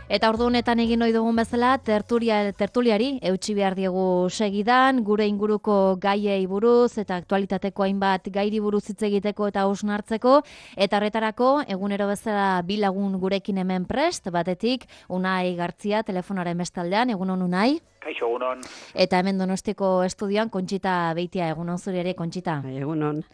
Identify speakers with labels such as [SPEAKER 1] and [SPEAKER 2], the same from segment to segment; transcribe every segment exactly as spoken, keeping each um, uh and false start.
[SPEAKER 1] Eta ordu honetan egin ohi dugun bezala, tertulia, tertuliari eutsi behar diegu segidan, gure inguruko gaiei buruz eta aktualitateko hainbat gairi buruz hitz egiteko eta hausnartzeko, eta horretarako egunero bezala bi lagun gurekin hemen prest, batetik Unai Gartzia telefonaren bestaldean, egunon Unai.
[SPEAKER 2] Kaixo, egunon.
[SPEAKER 1] Eta hemen Donostiko estudioan Kontxita Beitia, egunon zure ere Kontxita.
[SPEAKER 3] Egunon.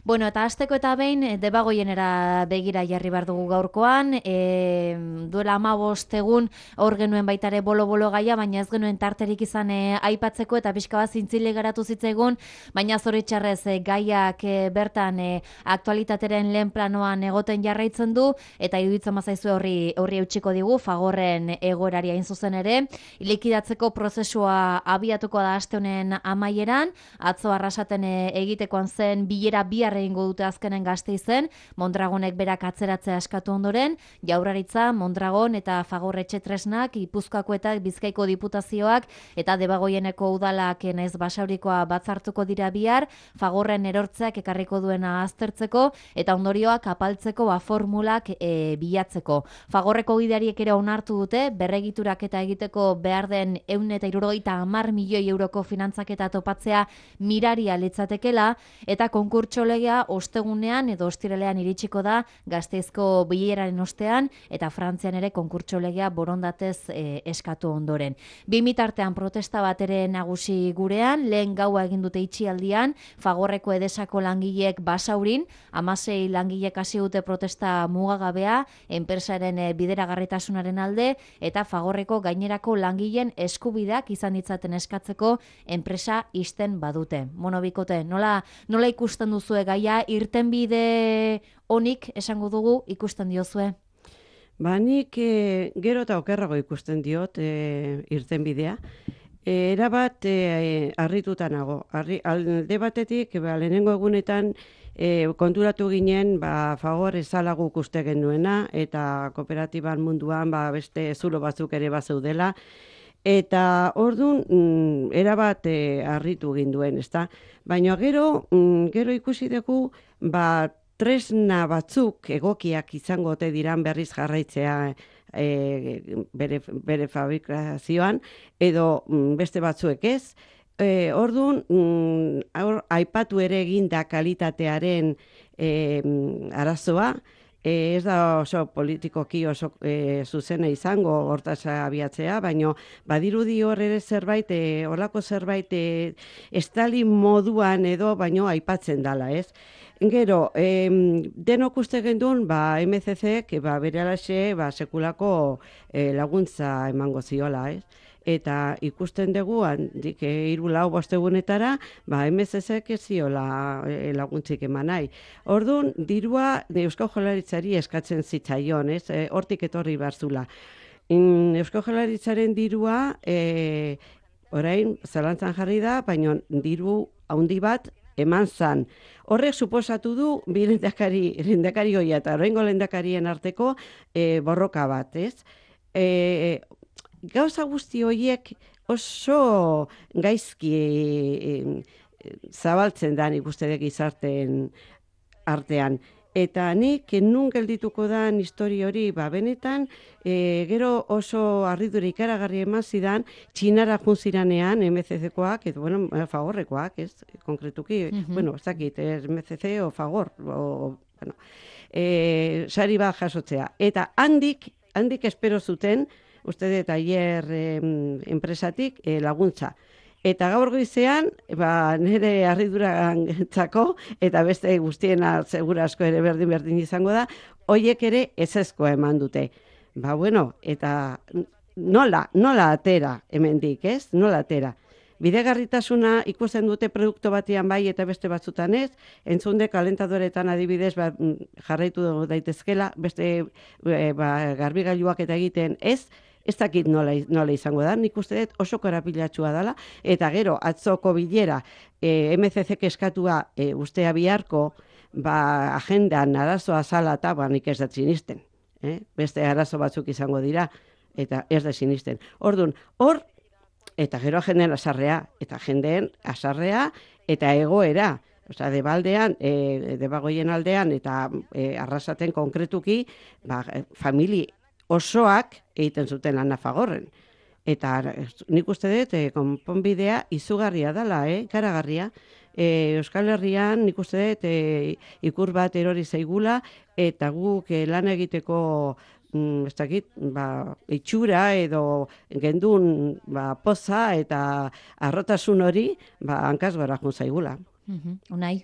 [SPEAKER 1] Bueno, eta hasteko eta behin, Debagoienera begira jarri behar dugu gaurkoan, e, duela hamabost egun hor genuen baitare bolo-bolo gaia, baina ez genuen tarterik izan e, aipatzeko eta pixka bat zintzile geratu zitzaigun, baina zoritxarrez e, gaiak e, bertan e, aktualitateren lehen planoan egoten jarraitzen du, eta iruditzen mazaizu horri, horri eutxiko digu, Fagorren egoerari hain zuzen ere, likidatzeko prozesua abiatuko da aste honen amaieran, atzo Arrasaten e, egitekoan zen bilera bihar egingo dute azkenen Gasteizen, Mondragonek berak atzeratzea eskatu ondoren, Jaurlaritza, Mondragon eta Fagor Etxetresnak, Gipuzkoako eta Bizkaiko diputazioak eta Debagoieneko udalak naiz Basaurikoa batzartuko dira bihar, Fagorren erortzeak ekarriko duena aztertzeko eta ondorioak apaltzeko ba formulak e, bilatzeko. Fagorreko gideariek ere onartu dute berregiturak eta egiteko behar den ehun eta hirurogeita hamar milioi euroko finantzaketa topatzea miraria litzatekela eta konkurtso legea ostegunean edo ostiralean iritsiko da Gasteizko bileraren ostean eta Frantzian ere konkurtso legea borondatez e, eskatu ondoren. Bi mitartean protesta bat ere nagusi gurean, lehen gaua egin dute itxialdian, Fagorreko Edesako langileek Basaurin, hamasei langileek hasi dute protesta mugagabea, enpresaren e, bideragarritasunaren alde eta Fagorreko gainerako langileen eskubideak izan ditzaten eskatzeko enpresa ixten badute. Mono bikote, nola, nola ikusten duzue gaia, irtenbide onik esango dugu ikusten diozue?
[SPEAKER 3] Ba, nik e, gero eta okerrago ikusten diot e, irtenbidea. E, erabat e, harrituta nago. Arri, alde batetik, ba, lehenengo egunetan e, konturatu ginen ba, Fagor ezala guk uste genuena eta kooperatiban munduan ba, beste zulo batzuk ere bazeudela. Eta orduan, mm, erabat e, harritu ginduen, ezta? Baina gero, mm, gero ikusi dugu, ba, tresna batzuk egokiak izango ote diran berriz jarraitzea e, bere, bere fabrikazioan, edo mm, beste batzuek ez. E, orduan, mm, aur, aipatu ere eginda kalitatearen e, arazoa, E, ez da oso politikoki oso e, zuzena izango hortaz abiatzea, baina badirudi hor ere zerbait, e, horlako zerbait e, estali moduan edo baino aipatzen dala, ez? Gero, e, denok uste gendun, ba, M C C-ek ba, bere alaxe ba, sekulako e, laguntza emango ziola, ez? Eta ikusten dugu, handik hiru lau bostegunetara, ba, M C C-ek ez ziola e, laguntzik eman nahi. Orduan, dirua Eusko Jaurlaritzari eskatzen zitzaion, ez? E, hortik etorri barzula. In, Eusko Jaurlaritzaren dirua, e, orain, zalantzan jarri da, baina diru handi bat eman zan. Horrek suposatu du, bi lehendakari, lehendakari hoia eta oraingo lehendakarien arteko e, borroka bat, ez? E, Gauza guzti horiek oso gaizki e, e, zabaltzen da nik uste dut gizarteen artean. Eta nik nun geldituko dan histori hori, ba, benetan, e, gero oso harridura ikaragarri eman zidan, Txinara jun ziranean, M C C-koak, edo, bueno, Fagorrekoak, ez, konkretuki, uh-huh. bueno, ez dakit, M C C o Fagor, o, bueno, e, sari bat jasotzea. Eta handik, handik espero zuten, uste dut aier eh, enpresatik eh, laguntza. Eta gaur goizean, ba, nire harriduragantzako, eta beste guztiena segura asko ere berdin-berdin izango da, hoiek ere ezezkoa eman dute. Ba, bueno, eta nola, nola atera hemendik, ez? Nola atera. Bidegarritasuna ikusten dute produktu batean bai eta beste batzutan ez, entzunde kalentadoretan adibidez ba, jarraitu daitezkela, beste e, ba, garbigailuak eta egiten ez, ez dakit nola, nola izango da, nik uste dut oso korapilatxua dela, eta gero atzoko bilera e, M C C-ek eskatua e, ustea biharko ba, agendan arazoa zala eta ba, nik ez da sinisten. Eh? Beste arazo batzuk izango dira, eta ez da sinisten. Orduan, hor, eta gero jendeen asarrea, eta jendeen asarrea, eta egoera. Osea, Debaldean, e, Debagoien aldean, eta e, Arrasaten konkretuki, ba, famili osoak egiten zuten lana Fagorren. Eta nik uste dut, e, konponbidea izugarria dela, eh? Karagarria. E, Euskal Herrian nik uste dut e, ikur bat erori zaigula, eta guk e, lan egiteko mm, ez dakit, ba, itxura edo gendun ba, poza eta arrotasun hori ba, hankaz gora jun zaigula.
[SPEAKER 1] Mhm, Unai?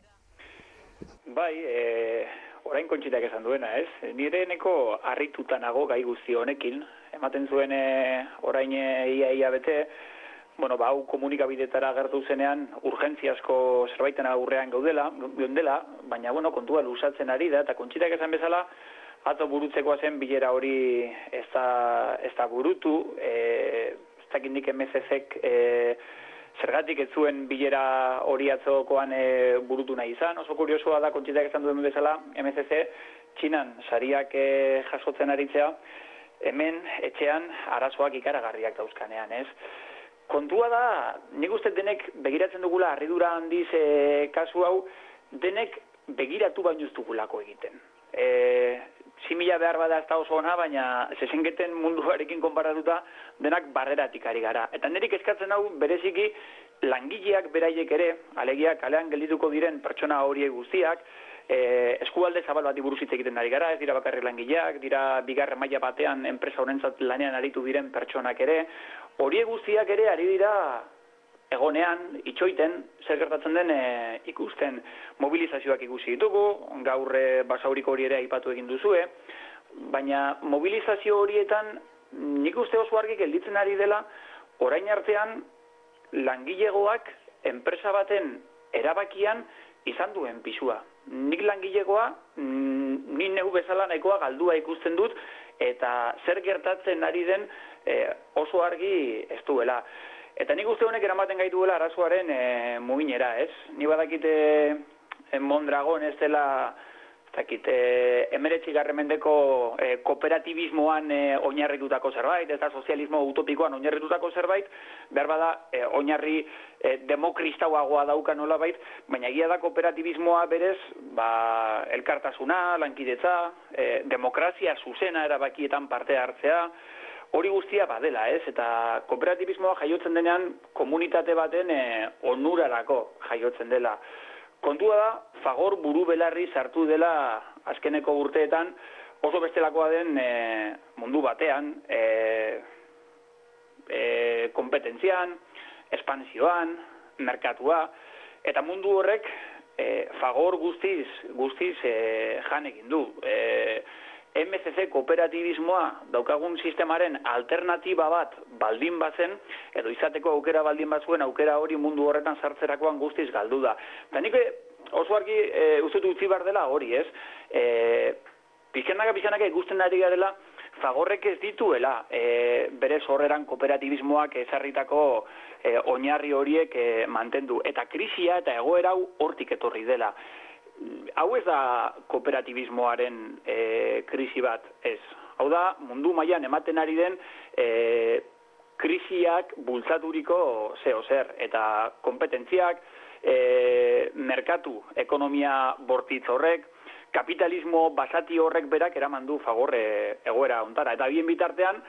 [SPEAKER 2] Bai, e, orain kontxitak esan duena, ez? Nire neko harrituta nago gai guzti honekin. Ematen zuen e, orain e, ia ia bete, bueno, ba, hau komunikabidetara agertu zenean urgentziasko zerbaiten aurrean gaudela, gaudela, baina, bueno, kontua lusatzen ari da, eta kontxitak esan bezala, atzo burutzekoa zen bilera hori ez da, ez da burutu, e, ez dakit nik M C C-ek e, zergatik ez zuen bilera hori atzokoan e, burutu nahi izan. Oso kuriosoa da, kontxitak esan duen bezala, M C C Txinan sariak e, jasotzen aritzea, hemen etxean arazoak ikaragarriak dauzkanean, ez? Kontua da, nik uste denek begiratzen dugula harridura handiz e, kasu hau, denek begiratu baino ez dugulako egiten. E, simila behar bada ez da oso ona, baina zezenketen munduarekin konparatuta denak barreratik ari gara. Eta nerik eskatzen hau bereziki langileak beraiek ere, alegia kalean geldituko diren pertsona horiek guztiak, e, eskualde zabal bati buruz hitz egiten ari gara, ez dira bakarrik langileak, dira bigarren maila batean enpresa honentzat lanean aritu diren pertsonak ere, horiek guztiak ere ari dira egonean, itxoiten, zer gertatzen den e, ikusten. Mobilizazioak ikusi ditugu, gaur e, basauriko hori ere aipatu egin duzue, baina mobilizazio horietan nik uste oso argi gelditzen ari dela, orain artean langilegoak enpresa baten erabakian izan duen pisua. Nik langilegoa, ni neu bezala nahikoa galdua ikusten dut, eta zer gertatzen ari den e, oso argi ez duela. Eta nik uste honek eramaten gaituela arazoaren e, muginera, ez? Ni badakite e, Mondragon ez dela, ez dakit, e, emeretzigarren mendeko e, kooperatibismoan e, oinarritutako zerbait, eta sozialismo utopikoan oinarritutako zerbait, behar bada e, oinarri e, demokristauagoa dauka nolabait, baina egia da kooperatibismoa berez, ba, elkartasuna, lankidetza, e, demokrazia zuzena erabakietan parte hartzea, hori guztia badela, ez? Eta kooperatibismoa jaiotzen denean komunitate baten e, onurarako jaiotzen dela. Kontua da, Fagor buru belarri sartu dela azkeneko urteetan oso bestelakoa den e, mundu batean, e, e, kompetentzian, espansioan, merkatua, eta mundu horrek e, Fagor guztiz, guztiz e, janekin du. E, M C C kooperatibismoa daukagun sistemaren alternatiba bat baldin bazen, edo izateko aukera baldin batzuen aukera hori mundu horretan sartzerakoan guztiz galdu da. Eta nik oso argi e, uste utzi behar dela hori, ez? E, pizkanaka pizkanaka ikusten ari garela, Fagorrek ez dituela e, bere sorreran kooperatibismoak ezarritako e, oinarri horiek e, mantendu. Eta krisia eta egoera hau hortik etorri dela. Hau ez da kooperatibismoaren e, krisi bat, ez. Hau da, mundu mailan ematen ari den e, krisiak bultzaturiko zeo zer. Eta kompetentziak, e, merkatu, ekonomia bortitz horrek, kapitalismo basati horrek berak eraman du Fagor e, egoera ontara. Eta bien bitartean,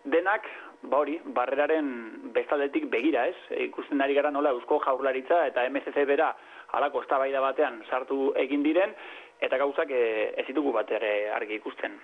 [SPEAKER 2] denak, ba hori, barreraren bestaldetik begira, ez? E, ikusten ari gara nola Eusko Jaurlaritza eta M C C bera halako eztabaida batean sartu egin diren, eta gauzak e, ez ditugu bat ere argi ikusten.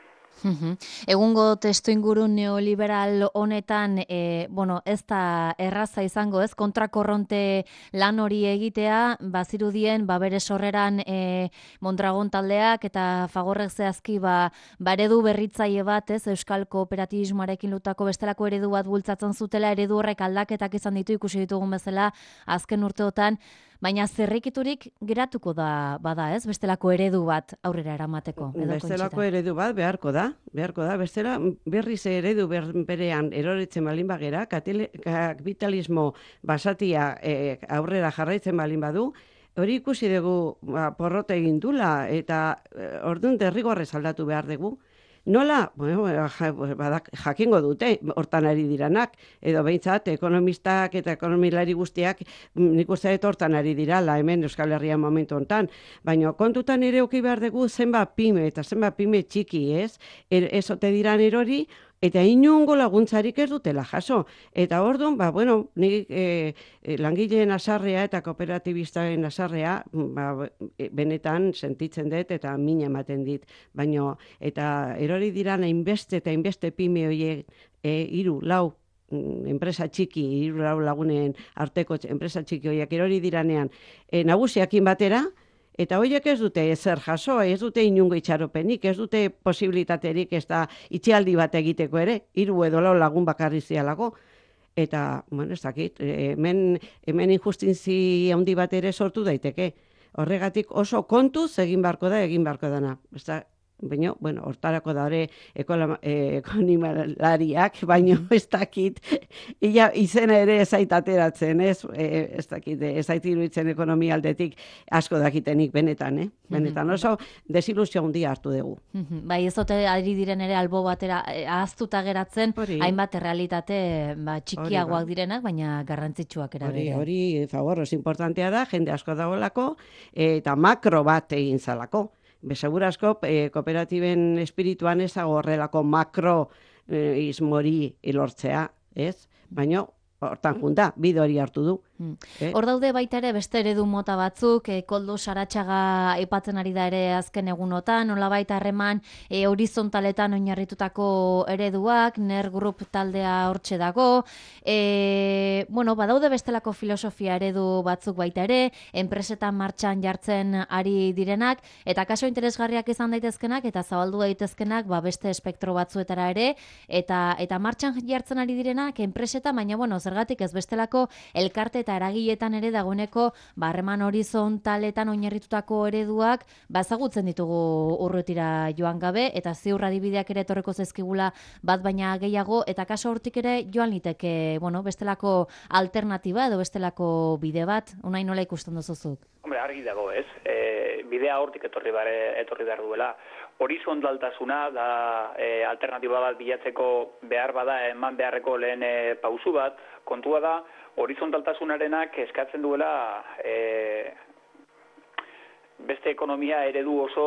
[SPEAKER 1] Egungo testuinguru neoliberal honetan, e, bueno, ez da erraza izango, ez? Kontrakorronte lan hori egitea, bazirudien, ba bere sorreran e, Mondragon taldeak eta Fagorrek zehazki ba baredu berritzaile bat, ez? Euskal kooperatibismoarekin lutako bestelako eredu bat bultzatzen zutela, eredu horrek aldaketak izan ditu ikusi ditugun bezala azken urteotan, baina zerrikiturik geratuko da bada, ez? Bestelako eredu bat aurrera eramateko.
[SPEAKER 3] Bestelako eredu bat beharko da, beharko da. Bestela berriz eredu ber, berean eroritzen balin bagera, kapitalismo basatia e, aurrera jarraitzen balin badu, hori ikusi dugu ba, porrota egin dula, eta e, orduan derrigorrez aldatu behar dugu. Nola, bueno, ja, badak, jakingo dute, hortan ari diranak, edo behintzat, ekonomistak eta ekonomilari guztiak, nik uste dut hortan ari dirala, hemen Euskal Herria momentu hontan, baina kontutan ere oki behar dugu zenba pime, eta zenba pime txiki, ez? Er, ez ote diran erori, eta inungo laguntzarik ez dutela jaso. Eta orduan, ba, bueno, nik e, e, langileen asarrea eta kooperatibistaren asarrea, ba, benetan sentitzen dut eta min ematen dit. Baina, eta erori diran hainbeste eta hainbeste pime horiek e, iru, lau, enpresa txiki, hiru lau lagunen arteko enpresa txiki horiek erori diranean e, nagusiakin batera, eta horiek ez dute ezer jaso, ez dute inungo itxaropenik, ez dute posibilitaterik ez da itxialdi bat egiteko ere, hiru edo lau lagun bakarri zialako. Eta, bueno, ez dakit, hemen, hemen injustinzi handi bat ere sortu daiteke. Horregatik oso kontuz egin beharko da, egin beharko dana. Ez da, baina, bueno, hortarako da hori ekonomilariak, baina ez dakit, ia izena ere ez zait ateratzen, ez, ez dakit, ez zait iruditzen ekonomia aldetik asko dakitenik benetan, eh? Benetan oso desilusio handia hartu dugu.
[SPEAKER 1] Bai, ez dute ari diren ere albo batera ahaztuta geratzen, hori, hainbat errealitate ba, txikiagoak direnak, baina garrantzitsuak era
[SPEAKER 3] hori, hori, favor, oso importantea da, jende asko dagoelako, eta makro bat egin zalako. Besegura asko, eh, kooperatiben espirituan ez horrelako makro eh, izmori ilortzea, ez? Baina, hortan junta, bide hori hartu du.
[SPEAKER 1] Eh? Hor daude baita ere beste eredu mota batzuk, e, Koldo Saratxaga aipatzen ari da ere azken egunotan, nolabait harreman e, horizontaletan oinarritutako ereduak, Ner Group taldea hortxe dago, e, bueno, badaude bestelako filosofia eredu batzuk baita ere, enpresetan martxan jartzen ari direnak, eta kaso interesgarriak izan daitezkenak, eta zabaldu daitezkenak ba, beste espektro batzuetara ere, eta, eta martxan jartzen ari direnak enpresetan, baina bueno, zergatik ez bestelako elkarte eta eragiletan ere dagoeneko harreman horizontaletan oinarritutako ereduak bazagutzen ditugu urrutira joan gabe, eta ziur adibideak ere etorreko zaizkigula bat baina gehiago, eta kaso hortik ere joan liteke, bueno, bestelako alternatiba edo bestelako bide bat, unai nola ikusten duzuzuk?
[SPEAKER 2] Hombre, argi dago, ez? E, bidea hortik etorri bare, etorri behar duela. Horizontaltasuna da e, alternatiba bat bilatzeko behar bada eman beharreko lehen e, pausu bat, kontua da, horizontaltasunarenak eskatzen duela e, beste ekonomia eredu oso,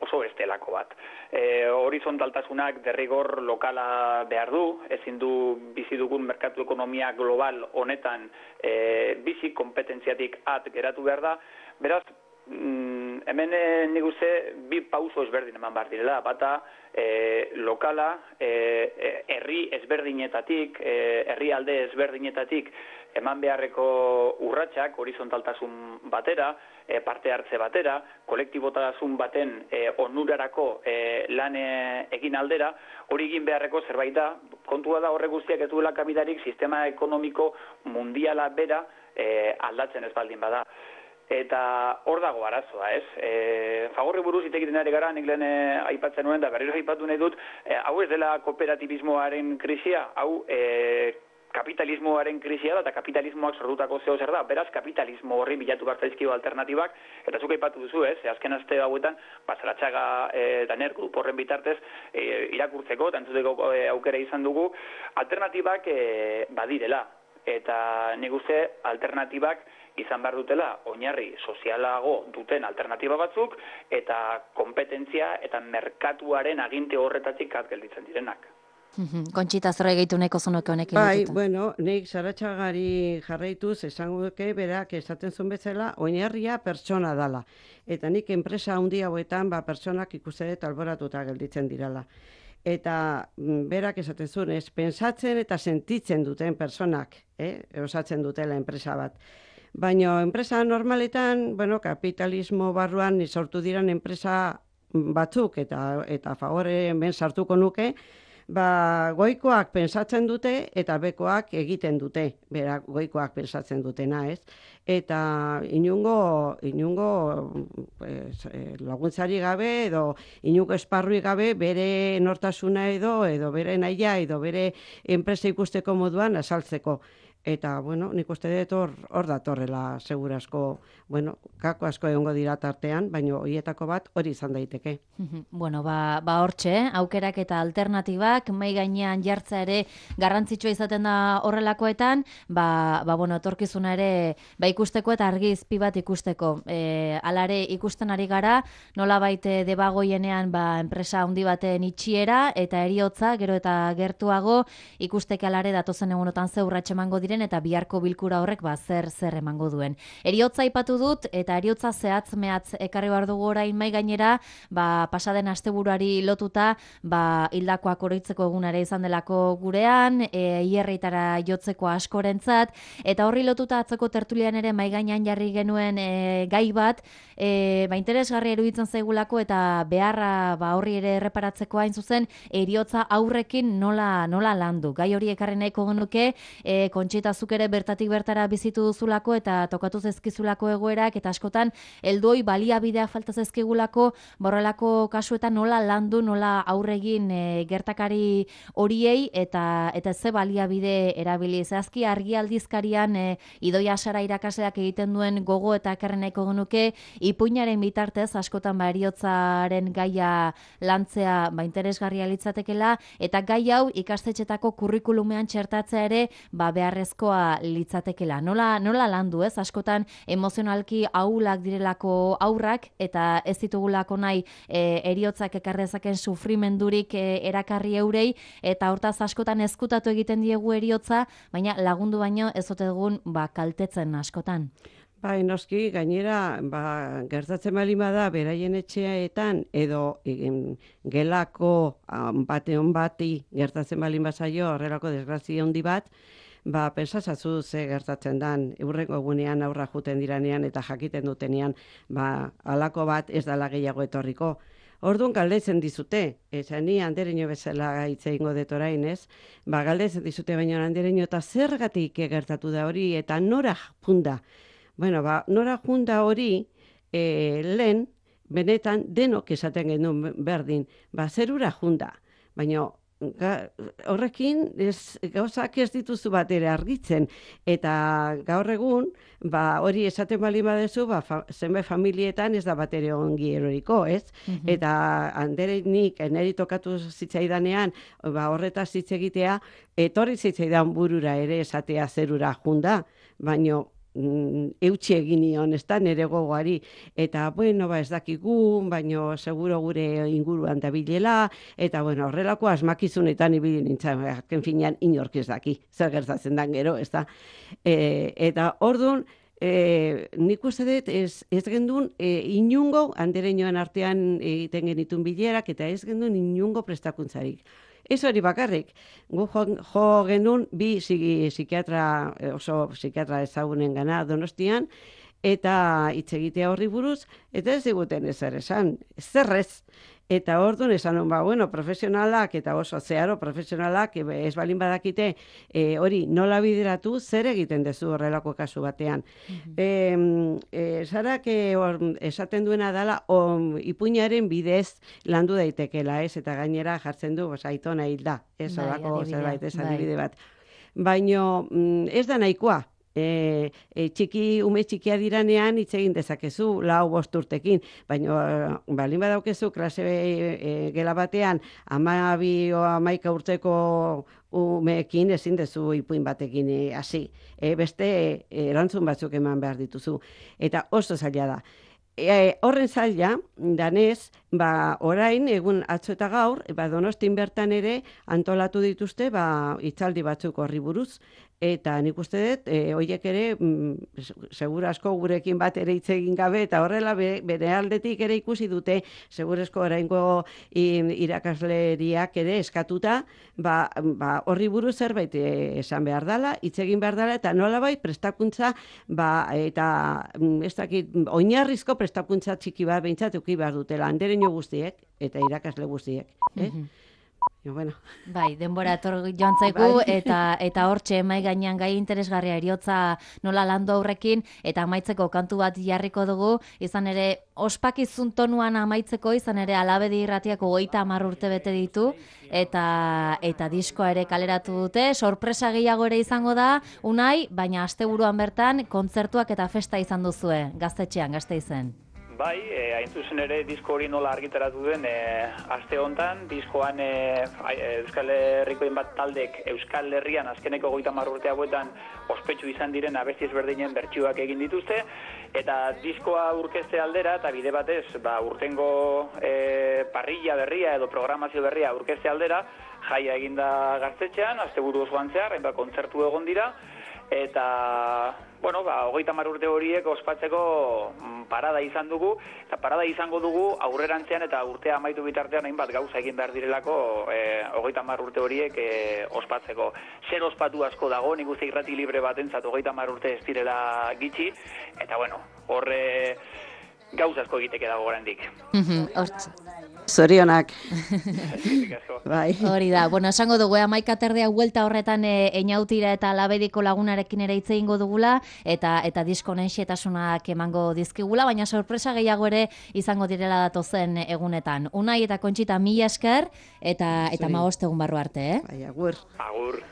[SPEAKER 2] oso bestelako bat. E, horizontaltasunak derrigor lokala behar du, ezin du bizi dugun merkatu ekonomia global honetan e, bizi kompetentziatik at geratu behar da, beraz, mm, hemen e, nik uste bi pauso ezberdin eman behar direla, bata e, lokala, e, herri ezberdinetatik, e, herri alde ezberdinetatik eman beharreko urratsak horizontaltasun batera, e, parte hartze batera, kolektibotasun baten e, onurarako e, lan e, egin aldera, hori egin beharreko zerbait da, kontua da horrek guztiak ez duela kapitarik sistema ekonomiko mundiala bera e, aldatzen ez baldin bada. Eta hor dago arazoa, ez? E, Fagorri buruz hitz egiten ari gara, nik lehen e, aipatzen nuen, da berriro aipatu nahi dut, e, hau ez dela kooperatibismoaren krisia, hau e, kapitalismoaren krisia da, eta kapitalismoak sortutako zeo zer da. Beraz, kapitalismo horri bilatu behar zaizkio alternatibak, eta zuk aipatu duzu, ez? E, azken aste hauetan, Saratxaga e, eta Ner Group horren bitartez e, irakurtzeko, eta entzuteko e, aukera izan dugu, alternatibak e, badirela. Eta nik uste alternatibak izan behar dutela oinarri sozialago duten alternatiba batzuk eta kompetentzia eta merkatuaren aginte horretatik at gelditzen direnak.
[SPEAKER 1] Kontxita, zer gehitu neko zonoke honekin
[SPEAKER 3] bai, dututen? Bueno, nik Saratxagari jarraituz esango duke berak esaten zuen bezala oinarria pertsona dala. Eta nik enpresa handi hauetan ba, pertsonak ikuste dut alboratuta gelditzen dirala. Eta berak esaten zuen, ez, pensatzen eta sentitzen duten personak, eh, osatzen dutela enpresa bat. Baina enpresa normaletan, bueno, kapitalismo barruan sortu diran enpresa batzuk, eta, eta Fagore ben sartuko nuke, ba, goikoak pensatzen dute eta bekoak egiten dute, berak goikoak pensatzen dutena, ez? Eta inungo, inungo pues, laguntzari gabe edo inungo esparrui gabe bere nortasuna edo edo bere nahia edo bere enpresa ikusteko moduan asaltzeko. Eta, bueno, nik uste dut hor, hor datorrela segurasko, bueno, kako asko egongo dira tartean, baina horietako bat hori izan daiteke.
[SPEAKER 1] Bueno, ba, ba hortxe, aukerak eta alternatibak, mai gainean jartza ere garrantzitsua izaten da horrelakoetan, ba, ba bueno, etorkizuna ere ba ikusteko eta argizpi bat ikusteko. E, alare ikusten ari gara, nola baite debagoienean ba, enpresa handi baten itxiera eta eriotza, gero eta gertuago, ikusteke alare datozen egunotan ze urratxe emango diren eta biharko bilkura horrek ba, zer zer emango duen. Eriotza aipatu dut eta eriotza zehatz mehatz ekarri behar dugu orain mai gainera, ba, pasaden asteburuari lotuta, ba, hildakoak oroitzeko egunare izan delako gurean, e, hierritara jotzeko askorentzat, eta horri lotuta atzeko tertulian ere mai gainean jarri genuen e, gai bat, e, ba, interesgarri eruditzen zaigulako eta beharra ba, horri ere erreparatzeko hain zuzen, eriotza aurrekin nola, nola landu. Gai hori ekarri nahiko genuke, e, Kontxita zuk ere bertatik bertara bizitu duzulako eta tokatu zezkizulako egoerak, eta askotan heldoi baliabidea falta zezkigulako, borrelako kasuetan nola landu, nola aurregin e, gertakari horiei eta eta ze baliabide erabili. Zehazki argi aldizkarian e, Idoia Sara irakasleak egiten duen gogo eta ekarri nahiko genuke, ipuinaren bitartez askotan ba heriotzaren gaia lantzea ba interesgarria litzatekela, eta gai hau ikastetxetako kurrikulumean txertatzea ere ba beharrezkoa litzatekela. Nola nola landu, ez? Askotan emozionalki ahulak direlako aurrak eta ez ditugulako nahi e, eriotzak ekarrezaken sufrimendurik e, erakarri eurei, eta hortaz askotan ezkutatu egiten diegu eriotza, baina lagundu baino ez ote dugun ba kaltetzen askotan.
[SPEAKER 3] Bai, noski, gainera, ba, gertatzen baldin bada, beraien etxeetan, edo egin, gelako um, bateon bati gertatzen baldin bazaio, horrelako desgrazia handi bat, ba, pensazatzu ze gertatzen dan, eurrengo egunean aurra juten diranean eta jakiten dutenean, ba, halako bat ez dala gehiago etorriko. Orduan galdetzen dizute, esan ni Andereño bezala hitz egingo dut orain, ez? Ba, galdetzen dizute baina Andereño eta zergatik gertatu da hori eta nora junda. Bueno, ba, nora junda hori e, lehen, benetan denok esaten genuen berdin, ba, zerura junda. Baina ga, horrekin ez, gauzak ez dituzu bat ere argitzen. Eta gaur egun, ba, hori esaten bali badezu, ba, fa, zenbait familietan ez da bat ere ongi eroriko, ez? Mm-hmm. Eta Anderenik, neri tokatu zitzaidanean, ba, horretaz hitz egitea, etorri zitzaidan burura ere esatea zerura junda, baina eutxe egin nion, ez da, nire gogoari, eta, bueno, ba, ez dakigu, baino, seguro gure inguruan da bilela, eta, bueno, horrelako asmakizunetan ibili nintzen, azken finean, inork ez daki, zer gertatzen dan gero, ez da. E, eta, orduan, e, nik uste dut, ez, ez gendun, e, inungo, Andereñoen artean egiten genitun bilerak, eta ez gendun inungo prestakuntzarik. Ez hori bakarrik, gu jo, jo genuen bi psikiatra, oso psikiatra ezagunen gana Donostian, eta hitz egitea horri buruz, eta ez diguten ezer esan, zerrez. Eta orduan esan hon, ba, bueno, profesionalak eta oso zeharo profesionalak ez balin badakite e, hori nola bideratu zer egiten dezu horrelako kasu batean. Mm-hmm. e, e, Zarak e, esaten duena dela o, ipuinaren bidez landu daitekela, ez? Eta gainera jartzen du, bos, aitona hilda, ez? Horako zerbait, ez adibide bat. Baina ez da nahikoa. E, e, txiki, ume txikia diranean hitz egin dezakezu, lau bost urtekin, baina balin badaukezu klase e, e, gela batean amabi o amaika urteko umeekin ezin dezu ipuin batekin hasi. E, beste e, erantzun batzuk eman behar dituzu. Eta oso zaila da. E, horren zaila, danez, ba, orain, egun atzo eta gaur, ba, Donostin bertan ere antolatu dituzte ba, hitzaldi batzuk horri buruz. Eta nik uste dut, e, horiek ere, mm, segurasko gurekin bat ere hitz egin gabe, eta horrela be, bere aldetik ere ikusi dute, segurasko oraingo irakasleriak ere eskatuta, ba, ba, horri buruz zerbait esan behar dela, hitz egin behar dela, eta nolabait prestakuntza, ba, eta ez dakit, oinarrizko prestakuntza txiki bat behintzat eduki behar dutela, Andereño guztiek, eta irakasle guztiek. Eh? Mm-hmm. E, bueno.
[SPEAKER 1] Bai, denbora etor joan zaigu,
[SPEAKER 3] Bai.
[SPEAKER 1] eta eta hortxe mai gainean gai interesgarria eriotza nola landu aurrekin, eta amaitzeko kantu bat jarriko dugu, izan ere, ospakizun tonuan amaitzeko, izan ere, Alabedi irratiako hogeita hamar urte bete ditu, eta eta diskoa ere kaleratu dute, sorpresa gehiago ere izango da, Unai, baina asteburuan bertan, kontzertuak eta festa izan duzue, Gaztetxean, Gasteizen.
[SPEAKER 2] Bai, e, hain zuzen ere disko hori nola argitaratu den e, aste hontan, diskoan e, Euskal Herrikoen bat taldek Euskal Herrian azkeneko hogeita hamar urte hauetan ospetsu izan diren abesti ezberdinen bertsioak egin dituzte, eta diskoa aurkezte aldera, eta bide batez, ba, urtengo e, parrilla berria edo programazio berria aurkezte aldera, jaia eginda Gaztetxean, asteburu osoan zehar, hainbat kontzertu egon dira, eta, bueno, ba, hogeita hamar urte horiek ospatzeko parada izan dugu, eta parada izango dugu aurrerantzean eta urtea amaitu bitartean hainbat gauza egin behar direlako e, hogeita hamar urte horiek e, ospatzeko. Zer ospatu asko dago, nik uste irrati libre batentzat hogeita hamar urte ez direla gitxi, eta bueno, horre gauza asko egiteke dago oraindik.
[SPEAKER 1] Hortz.
[SPEAKER 3] Zorionak. Bai.
[SPEAKER 1] Hori da, bueno, esango dugu, hamaika terdea huelta horretan e, Einautira eta Alabediko lagunarekin ere hitz egingo dugula, eta eta diskonen xetasunak emango dizkigula, baina sorpresa gehiago ere izango direla datozen egunetan. Unai eta Kontxita mila esker, eta eta hamabost egun barru arte, eh?
[SPEAKER 3] Bai, agur.
[SPEAKER 2] Agur.